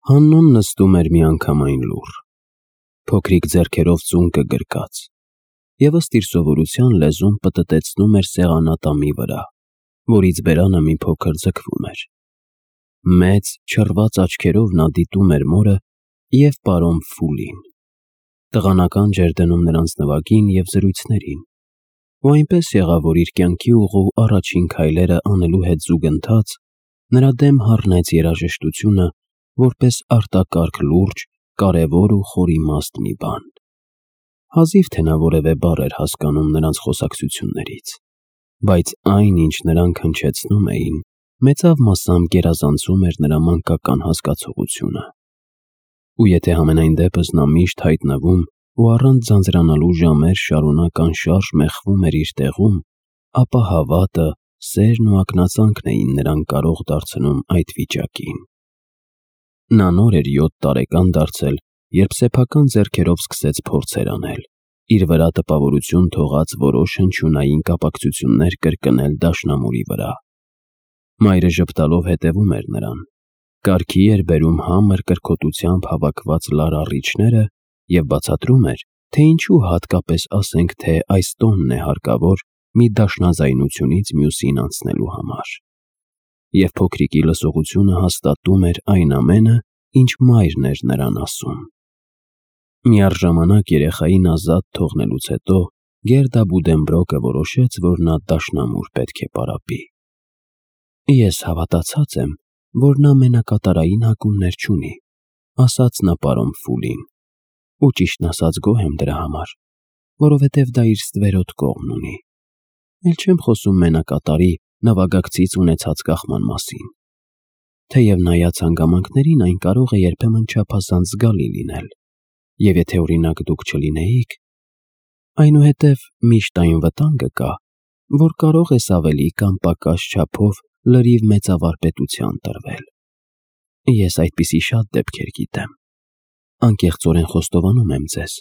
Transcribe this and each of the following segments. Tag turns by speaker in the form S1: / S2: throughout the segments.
S1: Հաննուն նստում էր միանգամայն լուռ, փոքրիկ ձեռքերով ծունկը գրկած, և ըստ իր սովորության լեզուն պտտեցնում էր սեղանատամի վրա, որից բերանը մի փոքր ձգվում էր։ Մեծ, չռված աչքերով նա դիտում էր մորը և պարոն Ֆուլին։ Տղանական ջեր դնում նրանց նվագին և զրույցներին, ու այնպես եղավ, որ իր կյանքի ուղու առաջին քայլերը անելու հետ զուգընթաց նրա դեմ հառնեց երաժշտությունը, որպես արտակարգ լուրջ, կարևոր ու խորիմաստ մի բան։ Հազիվ թե նա որևէ բառ էր հասկանում նրանց խոսակցություններից, բայց այն, ինչ նրանք հնչեցնում էին, մեծավ մասամբ գերազանցում էր նրա մանկական հասկացողությունը։ Ու եթե համենայն դեպս նա միշտ հայտնվում ու առանց ձանձրանալու ժամեր շարունակ անշարժ մեխվում էր իր տեղում, ապա հավատը, սերն ու ակնածանքն էին նրան կարող դարձնում այդ վիճակին։ Նա նոր էր 7 տարեկան դարձել, երբ սեփական ձեռքերով սկսեց փորձեր անել, իր վրա տպավորություն թողած որոշ հնչյունային կապակցություններ կրկնել դաշնամուրի վրա։ Մայրը ժպտալով հետևում էր նրան, կարգի էր բերում համր կրքոտությամբ հավաքված լար առիչները և բացատրում էր, թե ինչու հատկապես ասենք թե այս տոնն է հարկավոր մի դաշնազայնությունից մյուսին անցնելու համար։ Եվ փոքրիկի լսողությունը հաստատում էր այն ամենը, ինչ մայրն էր նրան ասում։ Միառժամանակ երեխային ազատ թողնելուց հետո Գերդա Բուդենբրոկը որոշեց, որ նա դաշնամուր պետք է պարապի։ «Ես հավատացած եմ, որ նա մենակատարային հակումներ չունի», ասաց նա պարոն Ֆուլին, «ու ճիշտն ասած գոհ եմ դրա համար, որովհետև դա իր ստվերոտ կողմն ունի։ Էլ չեմ խոսում մենակատարի նվագակցից ունեցած կախման մասին։ Թեև նայած հանգամանքներին այն կարող է երբեմն չափազանց զգալի լինել, և եթե օրինակ դուք չլինեիք, այնուհետև միշտ այն վտանգը կա, որ կարող ես ավելի կամ պակաս չափով լրիվ մեծավարպետության տրվել։ Ես այդպիսի շատ դեպքեր գիտեմ։ Անկեղծորեն խոստովանում եմ ձեզ,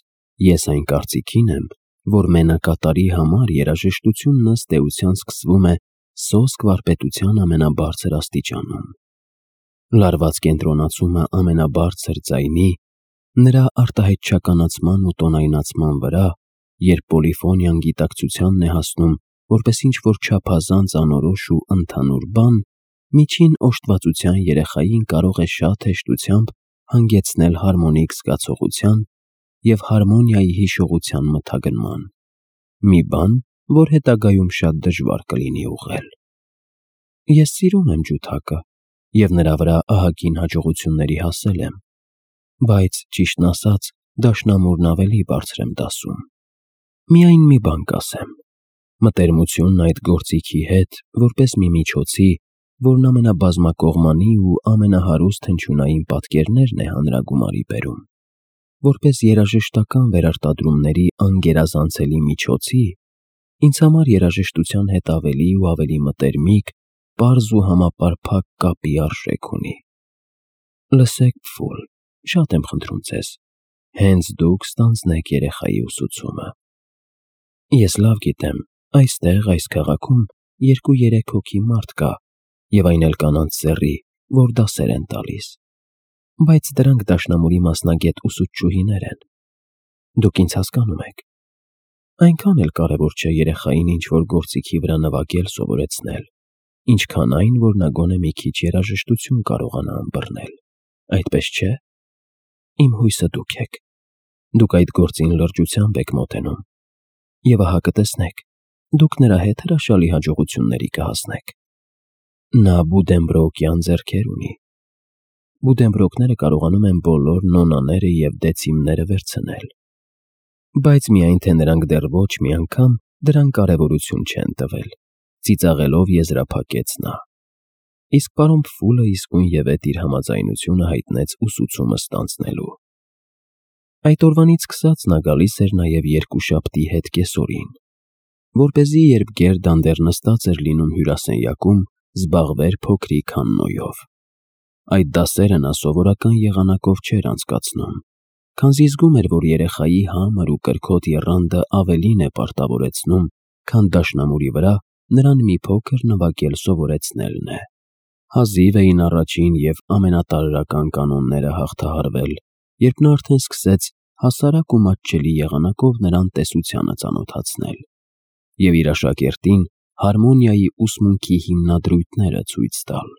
S1: ես այն կարծիքին եմ, որ մենակատարի համար երաժշտությունն ըստ էության սկսվում է սոսկ վարպետության ամենաբարձր աստիճանում։ Լարված կենտրոնացումը ամենաբարձր ձայնի, նրա արտահայտչականացման ու տոնայնացման վրա, երբ պոլիֆոնիան գիտակցությանն է հասնում որպես ինչ-որ չափազանց անորոշ ու ընդհանուր բան, միջին օժտվածության երեխային կարող է շատ հեշտությամբ հանգեցնել հարմոնիկ զգացողության և հարմոնիայի հիշողության մթագնման, մի բան, որ հետագայում շատ դժվար կլինի ուղղել։ Ես սիրում եմ ջութակը և նրա վրա ահագին հաջողությունների հասել եմ, բայց, ճիշտն ասած, դաշնամուրն ավելի բարձր եմ դասում։ Միայն մի բան կասեմ. մտերմությունն այդ գործիքի հետ, որպես մի միջոցի, որն ամենաբազմակողմանի ու ամենահարուստ հնչյունային պատկերներն է հանրագումարի բերում, որպես երաժշտական վերարտադրումների անգերազանցելի միջոցի, ինձ համար երաժշտության հետ ավելի ու ավելի մտերմիկ, պարզ ու համապարփակ կապի արժեք ունի։ Լսեք, Ֆուլ, շատ եմ խնդրում ձեզ, հենց դուք ստանձնեք երեխայի ուսուցումը։ Ես լավ գիտեմ, այստեղ, այս քաղաքում 2-3 հոգի մարդ կա, և այն էլ կանանց սեռի, որ դասեր են տալիս, բայց դրանք դաշնամուրի մասնագետ ուսուցչուհիներ են։ Դուք ինձ հասկանում եք։ Այնքան էլ կարևոր չէ երեխային ինչ-որ գործիքի վրա նվագել սովորեցնել, ինչքան այն, որ նա գոնե մի քիչ երաժշտություն կարողանա ըմբռնել, այդպես չէ՞։ Իմ հույսը դուք եք։ Դուք այդ գործին լրջությամբ եք մոտենում, և ահա կտեսնեք, դուք նրա հետ հրաշալի հաջողությունների կհասնեք։ Նա Բուդենբրոկյան ձեռքեր ունի։ Բուդենբրոկները կարողանում են բոլոր նոնաները և դեցիմները վերցնել, բայց միայն թե նրանք դեռ ոչ մի անգամ դրան կարևորություն չեն տվել, ծիծաղելով եզրափակեց նա։ Իսկ պարոն Ֆուլը իսկույնևեթ իր համաձայնությունը հայտնեց ուսուցումը ստանձնելու։ Այդ օրվանից սկսած նա գալիս էր նաև երկուշաբթի հետ կեսօրին, որպեսզի երբ Գերդան դեռ նստած էր լինում հյուրասենյակում, զբաղվեր փոքրիկ Հաննոյով։ Այդ դասերը նա սովորական եղանակով չէր անցկացնում, քանզի զգում էր, որ երեխայի համր ու կրքոտ եռանդը ավելին է պարտավորեցնում, քան դաշնամուրի վրա նրան մի փոքր նվագել սովորեցնելն է։ Հազիվ էին առաջին և ամենատարրական կանոնները հաղթահարվել, երբ նա արդեն սկսեց հասարակ ու մատչելի եղանակով նրան տեսությանը ծանոթացնել և իր աշակերտին հարմոնիայի ուսմունքի հիմնադրույթները ցույց տալ։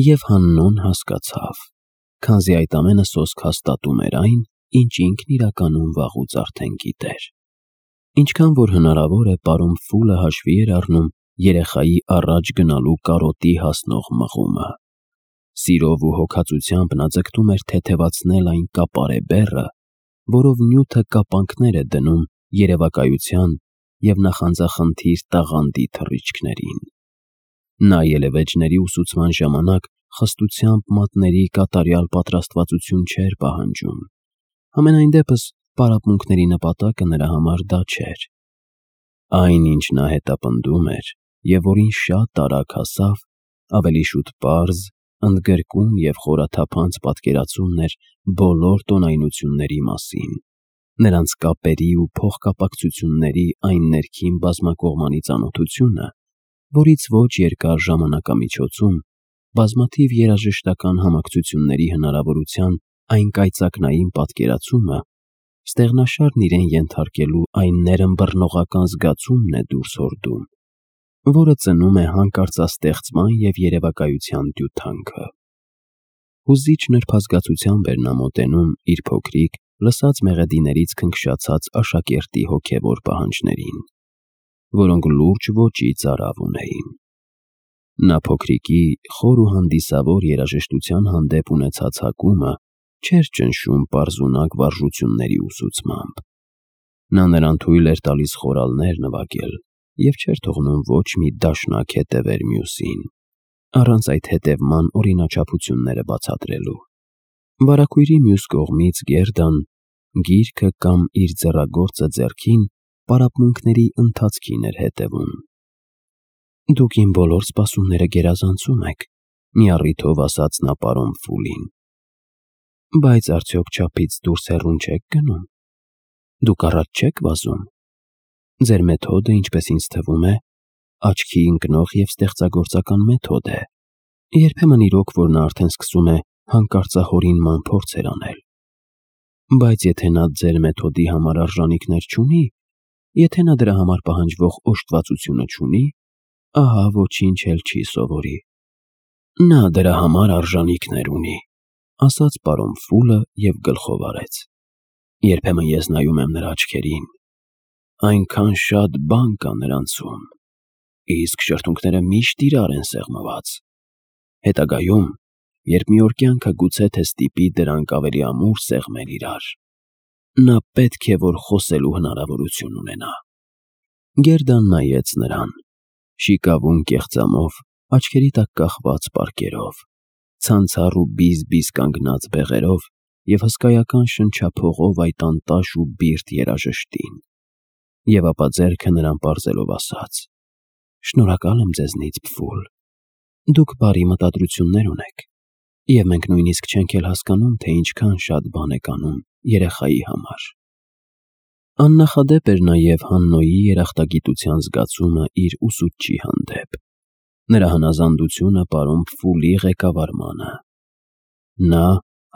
S1: Եվ Հաննոն հասկացավ, քանզի այդ ամենը սոսկ հաստատում էր այն, ինչ ինքն իրականում վաղուց արդեն գիտեր։ Ինչքան որ հնարավոր է, պարոն Ֆուլը հաշվի էր առնում երեխայի առաջ գնալու կարոտի հասնող մղումը։ Սիրով ու հոգածությամբ նա ձգտում էր թեթևացնել այն կապարե բեռը, որով նյութը կապանքներ է դնում երևակայության և նախանձախնդիր տաղանդի թռիչքներին։ Նա ելևէջների ուսուցման ժամանակ խստությամբ մատների կատարյալ պատրաստվածություն չէր պահանջում։ Համենայն դեպս պարապմունքների նպատակը նրա համար դա չէր։ Այն, ինչ նա հետապնդում էր և որին շատ արագ հասավ, ավելի շուտ պարզ, ընդգրկուն և խորաթափանց պատկերացումն էր բոլոր տոնայնությունների մասին, նրանց կապերի ու փոխկապակցությունների այն ներքին բազմակողմանի ծանոթությունը, որից ոչ երկար ժամանակամիջոցում բազմաթիվ երաժշտական համակցությունների հնարավորության այն կայծակնային պատկերացումը ստեղնաշարն իրեն ենթարկելու այն ներըմբռնողական զգացումն է դուրս հորդում, որը ծնում է հանկարծաստեղծման և երևակայության դյութանքը։ Հուզիչ նրբազգացությամբ էր նա մոտենում իր փոքրիկ, լսած մեղեդիներից քնքշացած աշակերտի հոգևոր պահանջներին, որոնք լուրջ ոճի ծարավ ունեին։ Նա փոքրիկի խոր ու հանդիսավոր երաժշտության հանդեպ ունեցած հակումը չէր ճնշում պարզունակ վարժությունների ուսուցմամբ։ Նա նրան թույլ էր տալիս խորալներ նվագել և չէր թողնում ոչ մի դաշնակ հետևեր մյուսին, առանց այդ հետևման օրինաչափությունները բացատրելու։ Վարագույրի մյուս կողմից Գերդան, գիրքը կամ իր ձեռագործը ձեռքին, պարապմունքների ընթացքին էր հետևում։ «Դուք իմ բոլոր սպասումները գերազանցում եք», մի առիթով ասաց նա պարոն Ֆուլին։ «Բայց արդյոք չափից դուրս հեռուն չեք գնում։ Դուք առաջ չեք վազում։ Ձեր մեթոդը, ինչպես ինձ թվում է, աչքի ընկնող և ստեղծագործական մեթոդ է։ Երբեմն իրոք որ նա արդեն սկսում է հանկարծահորինման փորձեր անել։ Բայց եթե նա ձեր մեթոդի համար արժանիքներ չունի, եթե նա դրա համար պահանջվող օժտվածությունը չունի, ահա ոչինչ էլ չի սովորի»։ «Նա դրա համար արժանիքներ ունի», ասաց պարոն Ֆուլը և գլխով արեց։ «Երբեմն ես նայում եմ նրա աչքերին, այնքան շատ բան կա նրանցում, իսկ շրթունքները միշտ իրար են սեղմված։ Հետագայում, երբ մի օր կյանքը գուցե թե ստիպի դրանք ավելի ամուր սեղմել իրար, նա պետք է որ խոսելու հնարավորություն ունենա»։ Գերդան նայեց նրան, շիկավուն կեղծամով, աչքերի տակ կախված պարկերով, ցանցառ ու բիզ-բիզ կանգնած բեղերով և հսկայական շնչափողով այդ անտաշ ու բիրտ երաժշտին։ Եվ ապա ձեռքը նրան պարզելով ասաց. «Շնորհակալ եմ ձեզնից, Փֆուլ, դուք բարի մտադրություններ ունեք, և մենք նույնիսկ չենք էլ հասկանում, թե ինչքան շատ բան եք անում երեխայի համար»։ Աննախադեպ էր նաև Հաննոյի երախտագիտության զգացումը իր ուսուցչի հանդեպ, նրա հնազանդությունը պարոն Ֆուլի ղեկավարմանը։ Նա,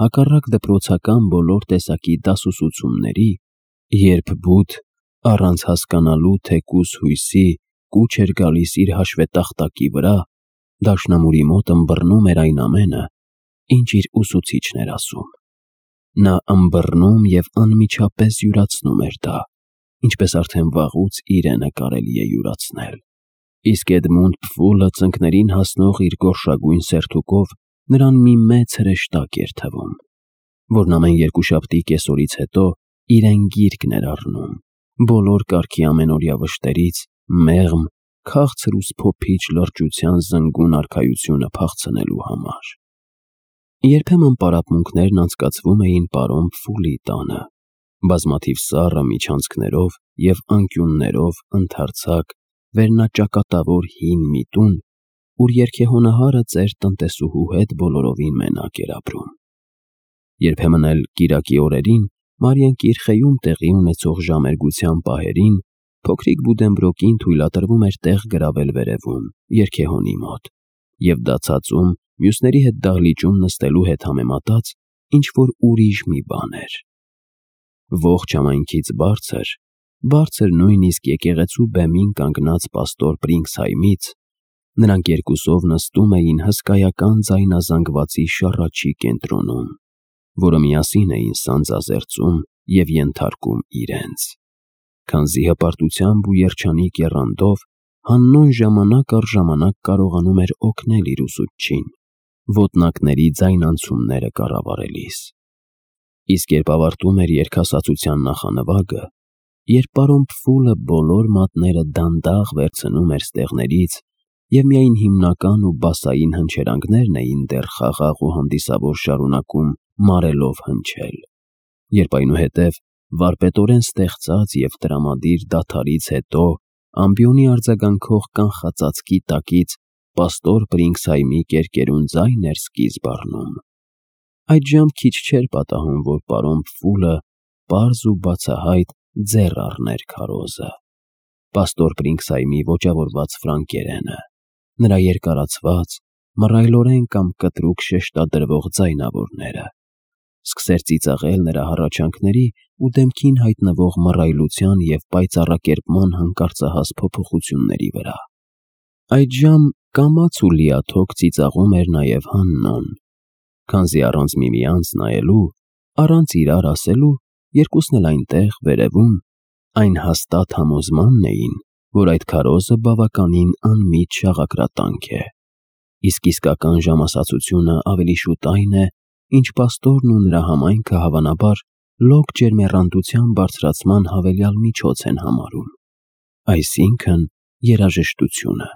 S1: հակառակ դպրոցական բոլոր տեսակի դասուսուցումների, երբ բութ, առանց հասկանալու թեկուզ հույսի, կուչ էր գալիս իր հաշվետախտակի վրա, դաշնամուրի մոտ ըմբռնում էր այն ամենը, ինչ իր ուսուցիչն էր ասում։ Նա ըմբռնում և անմիջապես յուրացնում էր դա, ինչպես արդեն վաղուց իրենը կարելի է յուրացնել։ Իսկ Էդմոնդ Փֆուլը ծնկներին հասնող իր գորշագույն սերթուկով նրան մի մեծ հրեշտակ էր թվում, որն ամեն երկուշաբթի կեսօրից հետո իրեն գիրկն էր առնում, բոլոր կարգի ամենօրյա վշտերից մեղմ, քաղցր ու սփոփիչ լրջության զնգուն արքայությունը փախցնելու համար։ Երբեմն պարապմունքներն անցկացվում էին պարոն Ֆուլի տանը, բազմաթիվ սառը միջանցքներով և անկյուններով ընդարձակ, վերնաճակատավոր հին մի տուն, ուր երգեհոնահարը ծեր տնտեսուհու հետ բոլորովին մենակ էր ապրում։ Երբեմն էլ կիրակի օրերին, Մարիան Կիրխեում տեղի ունեցող ժամերգության պահերին, փոքրիկ Բուդենբրոկին թույլատրվում էր տեղ գրավել վերևում, երգեհոնի մոտ, և դա ցածում մյուսների հետ դահլիճում նստելու հետ համեմատած ինչ-որ ուրիշ մի բան էր։ Ողջ համայնքից բարձր նույնիսկ եկեղեցու բեմին կանգնած պաստոր Պրինքսհայմից, նրանք երկուսով նստում էին հսկայական ձայնազանգվածի շառաչի կենտրոնում, որը միասին էին սանձազերծում և ենթարկում իրենց։ Քանզի հպարտությամբ ու երջանիկ եռանդով Հաննոն ժամանակ առ ժամանակ կարողանում էր օգնել իր ուսուցչին, ոտնակների ձայնանցումները կառավարելիս։ Իսկ երբ ավարտում էր երգասացության նախանվագը, երբ պարոն Պֆուլը բոլոր մատները դանդաղ վերցնում էր ստեղներից և միայն հիմնական ու բասային հնչերանգներն էին դեռ խաղաղ ու հանդիսավոր շարունակում մարելով հնչել, երբ այնուհետև վարպետորեն ստեղծած և տրամադիր դադարից հետո ամբիոնի արձագանքող կանխածածկի տակից պաստոր Պրինքսհայմի կերկերուն ձայն էր սկիզբ առնում, այդժամ քիչ չէր պատահում, որ պարոն Պֆուլը պարզ ու բացահայտ ձեռ առներ քարոզը։ Պաստոր Պրինքսհայմի ոճավորված ֆրանկերենը, նրա երկարացված, մռայլորեն կամ կտրուկ շեշտադրվող ձայնավորները, սկսեր ծիծաղել նրա հառաչանքների ու դեմքին հայտնվող մռայլության և պայծառակերպման հանկարծահաս փոփոխությունների վրա։ Այդժամ կամաց ու լիաթոք ծիծաղում էր նաև Հաննոն, քանզի առանց միմյանց նայելու, առանց իրար ասելու, երկուսն էլ այնտեղ, վերևում, այն հաստատ համոզմանն էին, որ այդ քարոզը բավականին անմիջ շաղակրատանք է, իսկ իսկական ժամասացությունը ավելի շուտ այն է, ինչ պաստորն ու նրա համայնքը հավանաբար լոկ ջերմեռանդության բարձրացման հավելյալ միջոց են համարում, այսինքն երաժշտությունը։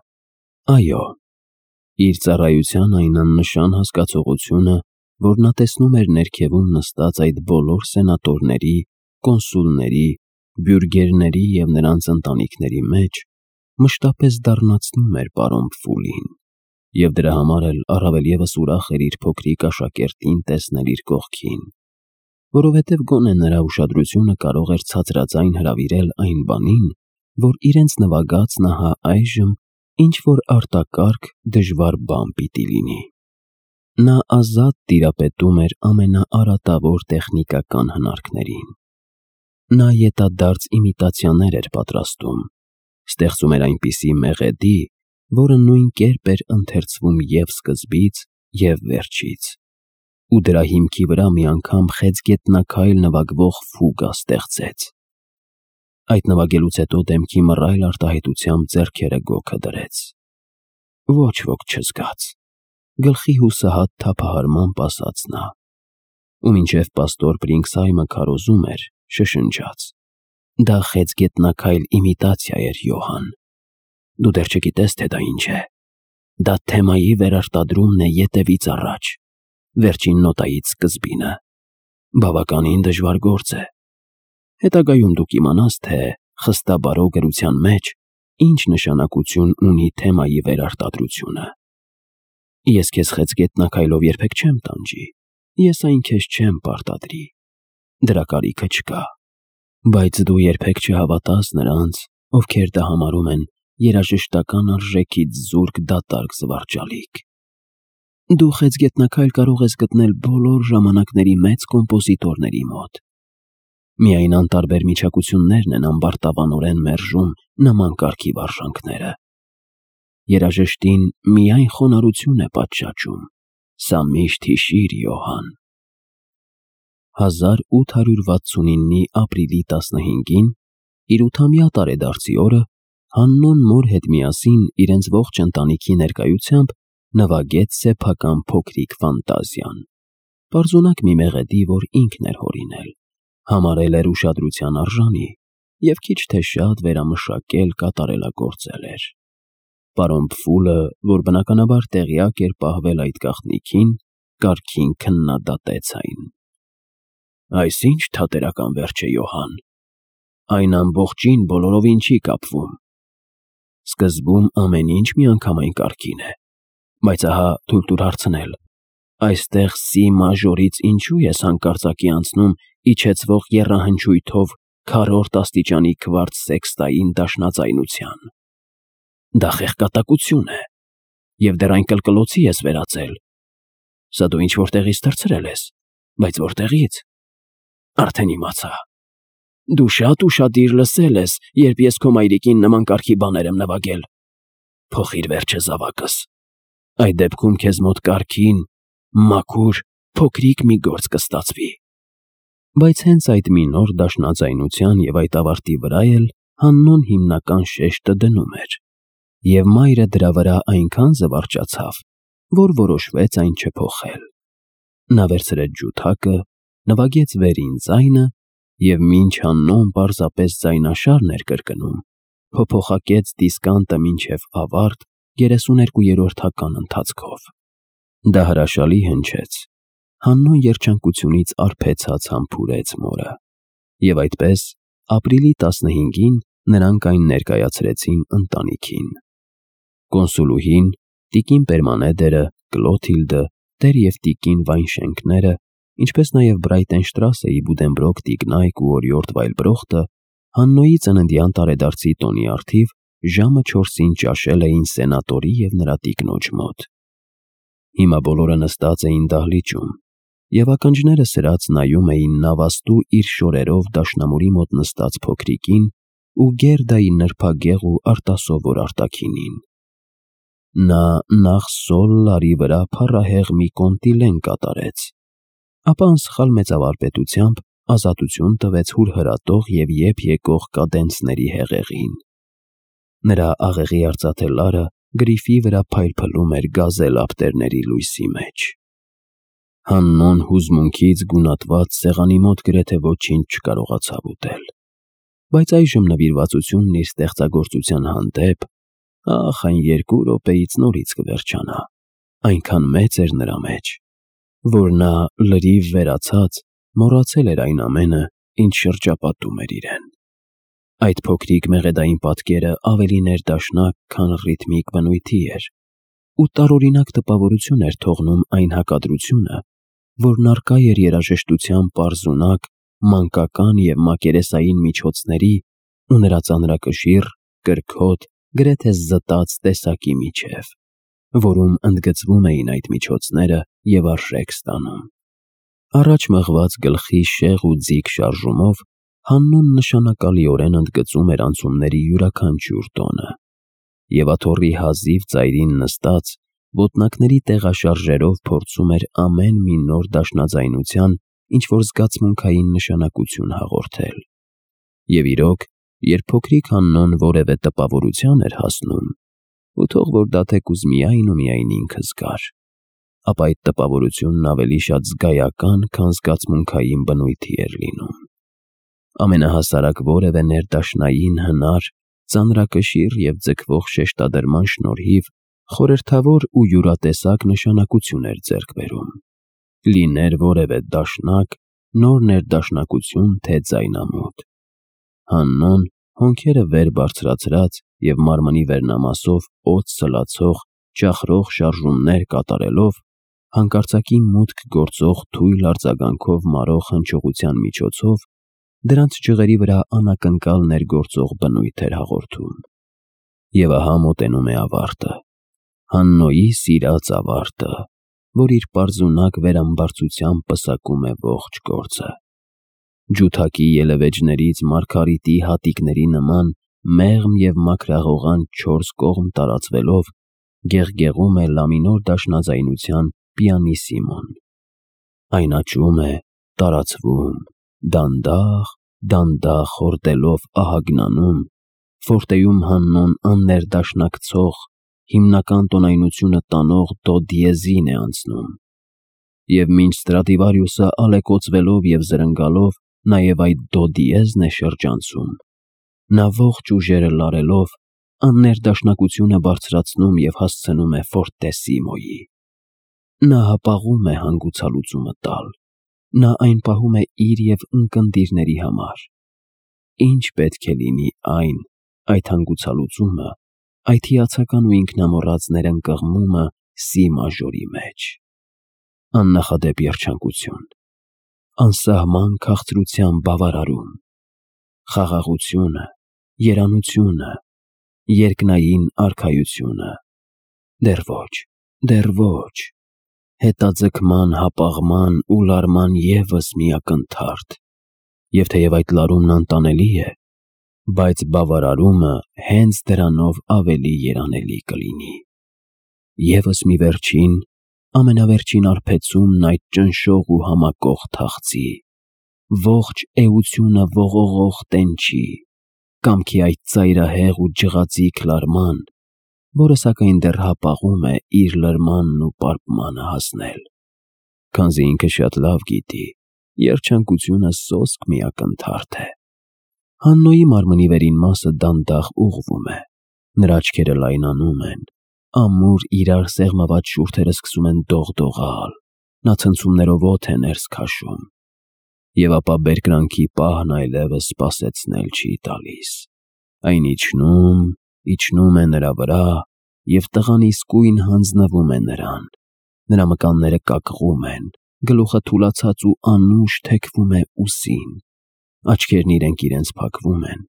S1: Այո, իր ծառայության այն աննշան հասկացողությունը, որ նա տեսնում էր ներքևում նստած այդ բոլոր սենատորների, կոնսուլների, բյուրգերների և նրանց ընտանիքների մեջ, մշտապես դառնացնում էր պարոն Պֆուլին, և դրա համար էլ առավել ևս ուրախ էր իր փոքրիկ աշակերտին տեսնել իր կողքին, որովհետև գոնե նրա ուշադրությունը կարող էր ցածրաձայն հրավիրել այն բանին, որ իրենց նվագածն ահա այժմ ինչ-որ արտակարգ, դժվար բան պիտի լինի։ Նա ազատ տիրապետում էր ամենաարատավոր տեխնիկական հնարքներին։ Նա ետադարձ իմիտացիաներ էր պատրաստում, ստեղծում էր այնպիսի մեղեդի, որը նույն կերպ էր ընթերցվում և սկզբից, և վերջից, ու դրա հիմքի վրա մի անգամ խեցգետնաքայլ նվագվող ֆուգա ստեղծեց։ Այդ նվագելուց հետո դեմքի մռայլ արտահայտությամբ ձեռքերը գոգը դրեց։ Ոչ ոք չզգաց, գլխի հուսահատ թափահարմամբ ասաց նա, ու մինչև պաստոր Պրինքսհայմը քարոզում էր, շշնջաց. Դա խեցգետնաքայլ իմիտացիա էր, Յոհան, դու դեռ չգիտես, թե դա ինչ է։ Դա թեմայի վերարտադրումն է ետևից առաջ, վերջին նոտայից սկզբինը։ Բավականին դժվար գործ է։ Հետագայում դու կիմանաս, թե խստաբարո գրության մեջ ինչ նշանակություն ունի թեմայի վերարտադրությունը։ Ես քեզ խեցգետնաքայլով երբեք չեմ տանջի, ես այն քեզ չեմ պարտադրի, դրա կարիքը չկա, բայց դու երբեք չհավատաս նրանց, ովքեր դա համարում են երաժշտական արժեքից զուրկ դատարկ զվարճալիք։ Դու խեցգետնաքայլ կարող ես գտնել բոլոր ժամանակների մեծ կոմպոզիտորների մոտ։ Միայն անտարբեր միջակություններն են ամբարտավանորեն մերժում նման կարգի վարժանքները։ Երաժշտին միայն խոնարհություն է պատշաճում, սա միշտ հիշիր, Յոհան։ 1869-ի ապրիլի 15-ին, իր 8-ամյա տարեդարձի օրը, Հաննոն մոր հետ միասին իրենց ողջ ընտանիքի ներկայությամբ նվագեց սեփական փոքրիկ ֆանտազիան, պարզունակ մի մեղեդի, որ ինքն էր հորինել, համարել էր ուշադրության արժանի և քիչ թե շատ վերամշակել կատարելագործել էր։ Պարոն Պֆուլը, որ բնականաբար տեղյակ էր պահվել այդ գաղտնիքին, կարգին քննադատեց այն։ Այս ի՞նչ թատերական վերջ է, Յոհան, այն ամբողջին բոլորովին չի կապվում։ Սկզբում ամեն ինչ միանգամայն կարգին է, բայց ահա թույլ տուր հարցնել, այստեղ սի մաժորից ինչու ես հանկարծակի անցնում իջեցվող եռահնչույթով քառորդ աստիճանի քվարց սեքստային դաշնածայնության։ Դա խեղկատակություն է։ և դեռ այն կլկլոցի ես վերածել։ Սա դու ինչ-որ տեղից թռցրել ես, բայց որտեղից։ Արդեն իմացա։ Դու շատ ուշադիր լսել ես, երբ ես քո մայրիկին նման կարգի բաներ եմ նվագել։ Փոխիր վերջը զավակս։ Այդ դեպքում քեզ մոտ կարգին, մաքուր, փոքրիկ մի գործ կստացվի։ Բայց հենց այդ մի նոր դաշնաձայնության և այդ ավարտի վրա էլ Հաննոն հիմնական շեշտը դնում էր, և մայրը դրա վրա այնքան զվարճացավ, որ որոշվեց այն չփոխել։ Նա վերցրեց ջութակը, նվագեց վերին ձայնը և մինչ Հաննոն պարզապես ձայնաշարն էր կրկնում, փոփոխակեց դիսկանտը մինչև ավարտ 32-րդ ընթացքով։ Դա հրաշալի հնչեց։ Հաննոն երջանկությունից արբեցած համբուրեց մորը։ Եվ այդպես, ապրիլի 15-ին նրանք այն ներկայացրեցին ընտանիքին։ Կոնսուլուհին, տիկին Պերմանեդերը, Կլոթիլդը, տեր և տիկին Վայնշենկները, ինչպես նաև Բրայտենշտրասեի Բուդենբրոկ տիկնայք ու օրիորդ Վայլբրոխտը Հաննոյի ծննդյան տարեդարձի տոնի առթիվ ժամը 4-ին ճաշել էին սենատորի և նրա տիկնոջ մոտ։ Հիմա բոլորը նստած էին դահլիճում, և ականջները սրած նայում էին նավաստու իր շորերով դաշնամուրի մոտ նստած փոքրիկին ու Գերդայի նրբագեղ ու արտասովոր արտաքինին։ Նա նախ սոլ լարի վրա փառահեղ մի կոնտիլեն կատարեց, ապա անսխալ մեծավարպետությամբ ազատություն տվեց հուրհրատող և եփ եկող կադենցների հեղեղին։ Նրա աղեղի արծաթե լարը գրիֆի վրա փայլփլում էր գազել ափտերների լույսի մեջ։ Հաննոն հուզմունքից գունատված սեղանի մոտ գրեթե ոչինչ չկարողացավ ուտել, բայց այժմ նվիրվածությունն իր ստեղծագործության հանդեպ, ախ, այն 2 րոպեից նորից կվերջանա, այնքան մեծ էր նրա մեջ, որ նա լրիվ վերացած մոռացել էր այն ամենը, ինչ շրջապատում էր իրեն։ Այդ փոքրիկ մեղեդային պատկերը ավելի ներդաշնակ, քան ռիթմիկ բնույթի էր, ու տարօրինակ տպավորություն էր թողնում այն հակադրությունը, որն առկա էր երաժշտության պարզունակ, մանկական և մակերեսային միջոցների ու նրա ծանրակշիռ, կրքոտ, գրեթե զտած տեսակի միջև, որում ընդգծվում էին այդ միջոցները և արժեք ստանում։ Առաջ մղված գլխի շեղ ու ձիգ շարժումով Հաննոն նշանակալիորեն ընդգծում էր անցումների յուրաքանչյուր տոնը, և աթոռի հազիվ ծայրին նստած, ոտնակների տեղաշարժերով փորձում էր ամեն մի նոր դաշնաձայնության ինչ-որ զգացմունքային նշանակություն հաղորդել։ Եվ իրոք, երբ փոքրիկ Հաննոն որևէ տպավորության էր հասնում, ու թող որ դա թեկուզ միայն ու միայն ինքը զգար, ապա այդ տպավորությունն ավելի շատ զգայական, քան զգացմունքային բնույթի էր լինում։ Ամենահասարակ որևէ ներդաշնային հնար, ծանրակշիռ և ձգվող շեշտադրման շնորհիվ խորհրդավոր ու յուրատեսակ նշանակություն էր ձեռք բերում, լիներ որևէ դաշնակ, նոր ներդաշնակություն, թե ձայնամոտ։ Հաննոն, հոնքերը վեր բարձրացրած և մարմնի վերնամասով օդ սլացող, ճախրող շարժումներ կատարելով, հանկարծակի մուտք գործող թույլ արձագանքով մարող հնչողության միջոցով դրանց ջղերի վրա անակնկալ ներգործող բնույթ էր հաղորդում։ Եվ ահա մոտենում է ավարտը, Հաննոյի սիրած ավարտը, որ իր պարզունակ վերամբարձությամբ պսակում է ողջ գործը։ Ջութակի ելևէջներից մարգարիտի հատիկների նման մեղմ և մաքրաղողան 4 կողմ տարածվելով գեղգեղում է լամինոր դաշնաձայնության պիանիսիմոն։ Այն աճում է, տարածվում, դանդաղ, դանդաղ հորդելով ահագնանում, ֆորտեում Հաննոն աններդաշնակցող, հիմնական տոնայնությունը տանող դո դիեզին է անցնում, և մինչ Ստրադիվարիուսը ալեկոծվելով և զրնգալով նաև այդ դո դիեզն է շրջանցում, նա ողջ ուժերը լարելով աններդաշնակությունը բարձրացնում և հասցնում է ֆորտեսիմոյի։ Նա հապաղում է հանգուցալուծումը տալ, նա այն պահում է իր և ունկնդիրների համար։ Ինչ պետք է լինի այդ հանգուցալուծումը, այդ հիացական ու ինքնամոռաց ներընկղմումը սի մաժորի մեջ։ Աննախադեպ երջանկություն, անսահման քաղցրության բավարարում, խաղաղությունը, երանությունը, երկնային արքայությունը, Դեռ ոչ, հետաձգման, հապաղման ու լարման ևս մի ակնթարթ, և թեև այդ լարումն անտանելի է, բայց բավարարումը հենց դրանով ավելի երանելի կլինի։ ԵՒս մի վերջին, ամենավերջին արբեցումն այդ ճնշող ու համակող թախծի, ողջ էությունը ողողող տենչի, կամքի այդ ծայրահեղ ու ջղածիկ լարման, որը սակայն դեռ հապաղում է իր լրմանն ու պարպմանը հասնել, քանզի ինքը շատ լավ գիտի, երջանկությունը սոսկ մի ակնթարթ է։ Հաննոյի մարմնի վերին մասը դանդաղ ուղղվում է, նրա աչքերը լայնանում են, ամուր իրար սեղմված շուրթերը սկսում են դողդողալ, նա ցնցումներով օդ է ներս քաշում, և ապա բերկրանքի պահն այլևս սպասեցնել չի տալիս, այն իջնում է նրա վրա և տղան իսկույն հանձնվում է նրան, նրա մկանները կակղում են, գլուխը թուլացած ու անուշ թեքվում է ուսին, աչքերն իրենք իրենց փակվում են,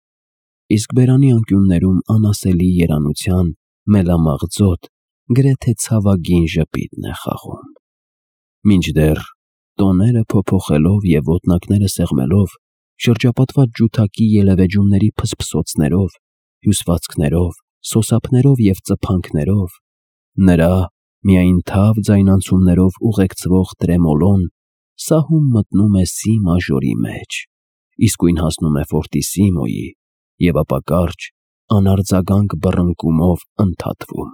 S1: իսկ բերանի անկյուններում անասելի երանության մելամաղձոտ, գրեթե ցավագին ժպիտն է խաղում։ Մինչդեռ, տոները փոփոխելով և ոտնակները սեղմելով, շրջապատված ջութակի ելևեջումների փսփսոցներով, հյուսվածքներով, սոսափներով և ծփանքներով, նրա միայն թավ ձայնանցումներով ուղեկցվող տրեմոլոն սահում մտնում է սի մաժորի մեջ, իսկույն հասնում է ֆորտիսիմոյի և ապա կարճ, անարձագանք բռնկումով ընդհատվում։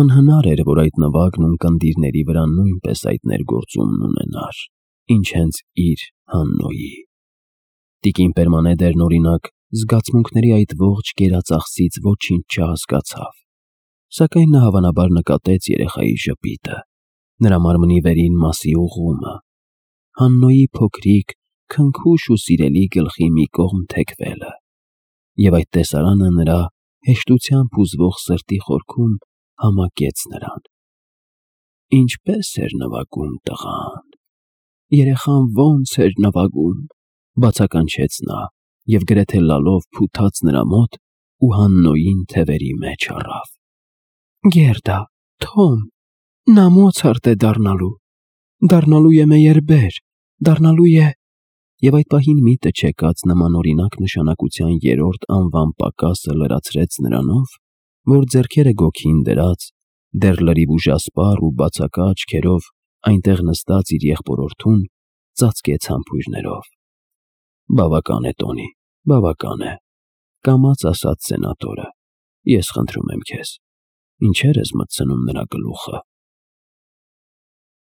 S1: Անհնար էր, որ այդ նվագն ունկնդիրների վրա նույնպես այդ ներգործումն ունենար, ինչ հենց իր Հաննոյի։ Տիկին Պերմանեդերն, օրինակ, զգացմունքների այդ ողջ կերածախսից ոչինչ չհասկացավ, սակայն նա հավանաբար նկատեց երեխայի ժպիտը, նրա մարմնի վերին մասի ուղղումը, Հաննոյի փոքրիկ, քնքուշ ու սիրելի գլխի մի կողմ թեքվելը, և այդ տեսարանը նրա հեշտությամբ հուզվող սրտի խորքում համակեց նրան։ Ինչպե՜ս էր նվագում տղան, երեխան ո՞նց էր նվագում, բացականչեց նա և գրեթե լալով փութաց նրա մոտ ու Հաննոյին թևերի մեջ առավ։ Գերդա, Թոմ, նա Մոցարտ է դառնալու է մեյերբեր, դառնալու է… Եվ այդ պահին միտը չեկած նմանօրինակ նշանակության երրորդ անվան պակասը լրացրեց նրանով, որ ձեռքերը գոգին դրած, դեռ լրիվ ուժասպառ ու բացակա աչքերով այնտեղ նստած իր եղբորորդուն ծածկեց համբույրներով։ Բավական է, Տոնի, բավական է, կամաց ասաց սենատորը, ես խնդրում եմ քեզ, ինչեր ես մտցնում նրա գլուխը։